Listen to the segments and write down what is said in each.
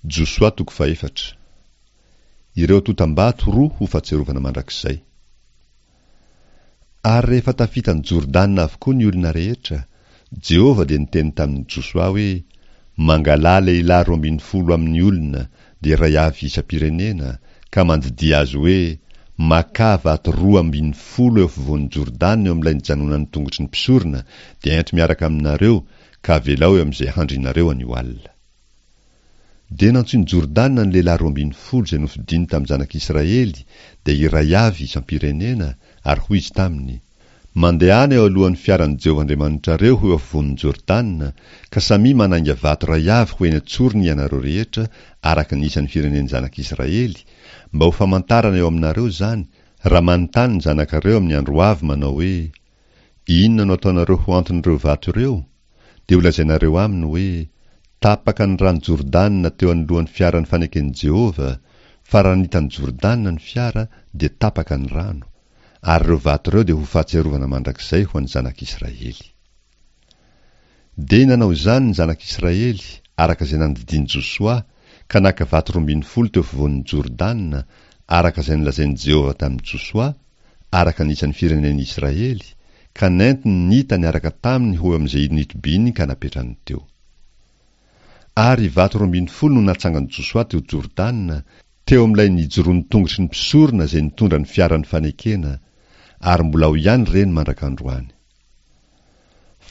Josoa toko fahefatra. Ireo antontam-bato roa ho fahatsiarovana mandrakizay. Ary rehefa tafita an'i Jordana avokoa ny olona rehetra, Jehovah dia niteny tamin'i Josoa hoe, Mangalà lehilahy 12 amin'ny olona, dia iray avy isam-pirenena, ka mandidia azy hoe, Makà vato 12 eo afovoan'i Jordana eo amin'ilay nijanonan'ny tongotry ny mpisorona, dia ento miaraka aminareo, ka avelao eo amin'izay handrinareo anio alina. Dia nantsoin'i Jordana ny lehilahy 12 izay nofidiny tamin'ny zanak'Israely, dia iray avy isam-pirenena, ary hoy izy taminy, Mandehana eo alohan'ny fiaran'i Jehovah Andriamanitrareo ho eo afovoan'i Jordana, ka samia manainga vato iray avy ho eny an-tsorony ianareo rehetra, araka ny isan'ny firenen'ny zanak'Israely, mba ho famantarana eo aminareo izany, raha manontany ny zanakareo amin'ny andro ho avy manao hoe, Inona no ataonareo ho anton'ireo vato ireo? Dia holazainareo aminy hoe, Tapaka ny rano Jordana teo anoloan'ny fiaran'ny faneken'i Jehovah, fa raha nitan'i Jordana ny fiara, dia tapaka ny rano, ary ireo vato ireo dia ho fahatsiarovana mandrakizay ho an'ny zanak'Israely. Dia nanao izany ny zanak'Israely, araka izay nandidian'i Josoa, ka naka vato 12 teo afovoan'i Jordana, araka izay nolazain'i Jehovah tamin'i Josoa, araka ny isan'ny firenen'i Israely, ka nentiny nita niaraka taminy ho eo amin'izay nitobiany ka napetrany teo. Ary vato 12 no natsangan'i Josoa teo Jordana, teo amin'ilay nijoroan'ny tongotry ny mpisorona izay nitondra ny fiaran'ny fanekena, ary mbola ao ihany ireny mandrak'androany.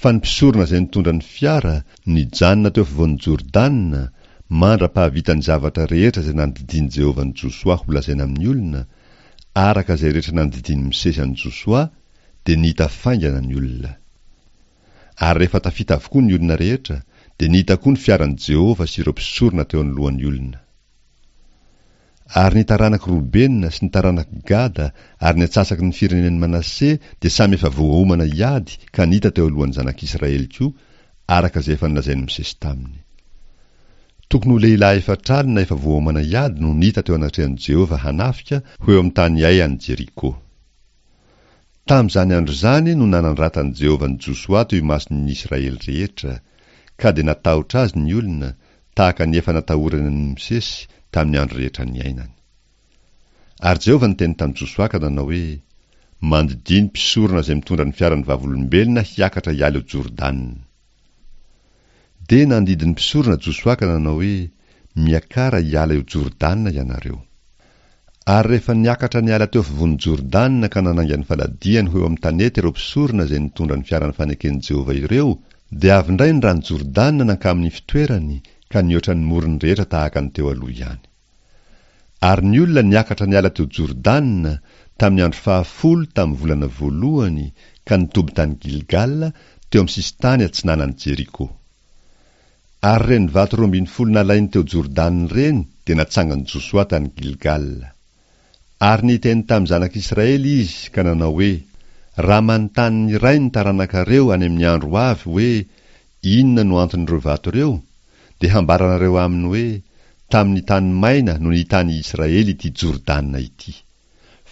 Fa ny mpisorona izay nitondra ny fiara, nijanona teo afovoan'i Jordana, mandra-pahavita ny zavatra rehetra izay nandidian'i Jehovah an'i Josoa holazaina amin'ny olona, araka izay rehetra nandidian'i Mosesy an'i Josoa, dia nita faingana ny olona. Ary rehefa tafita avokoa ny olona rehetra, dia nita koa ny fiaran'i Jehovah sy ireo mpisorona teo anoloan'ny olona. Ary ny taranak'i Robena sy ny taranak'i Gada ary ny antsasaky ny firenen'i Manase dia samy efa voaomana hiady ka nita teo alohan'ny zanak'Israely koa, araka izay efa nolazain'i Mosesy taminy. Tokony ho lehilahy 40 efa voaomana hiady no nita teo anatrehan'i Jehovah hanafika ho eo amin'ny tany Ay any Jeriko. Tamin'izany andro izany no nanandratan'i Jehovah an'i Josoa teo imason'ny Israely rehetra, ka dia natahotra azy ny olona, tahaka ny efa natahorany an'i Mosesy tamin'ny andro rehetra niainany. Ary Jehovah niteny tamin'i Josoa ka nanao hoe, Mandidia ny mpisorona izay mitondra ny fiaran'ny vavolombelona hiakatra hiala eo Jordana. Dia nandidy ny mpisorona Josoa ka nanao hoe, Miakara hiala eo Jordana ianareo. Ary rehefa niakatra niala teo afovoan'i Jordana ka nanainga ny faladiany ho eo amin'ny tanety ireo mpisorona izay nitondra ny fiaran'ny faneken'i Jehovah ireo, dia avy indray ny rano Jordana nankamin'ny fitoerany ka nihoatra ny morony rehetra tahaka ny teo aloha ihany. Ary ny olona niakatra niala teo Jordana tamin'ny andro fahafolo tamin'ny volana voalohany ka nitoby tany Gilgala teo amin'ny sisin-tany atsinanan'i Jeriko. Ary ireny vato 12 nalainy teo Jordana ireny dia natsangan'i Josoa tany Gilgala. Ary niteny tamin'ny zanak'Israely izy ka nanao hoe, Raha manontany ny iray ny taranakareo any amin'ny andro ho avy hoe, Inona no anton'ireo vato ireo? dia hambaranareo aminy hoe, Tamin'ny tany maina no nitany Israely ity Jordana ity.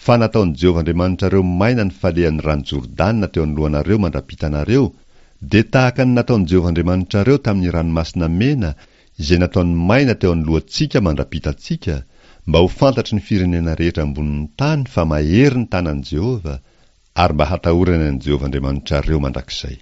Fa nataon'i Jehovah Andriamanitrareo maina ny falehan'ny rano Jordana teo anoloanareo mandra-pitanareo, dia tahaka ny nataon'i Jehovah Andriamanitrareo tamin'ny Ranomasina Mena izay nataony maina teo anoloantsika mandra-pitantsika, mba ho fantatry ny firenena rehetra ambonin'ny tany fa mahery ny tanan'i Jehovah, ary mba hatahorany an'i Jehovah Andriamanitrareo mandrakizay.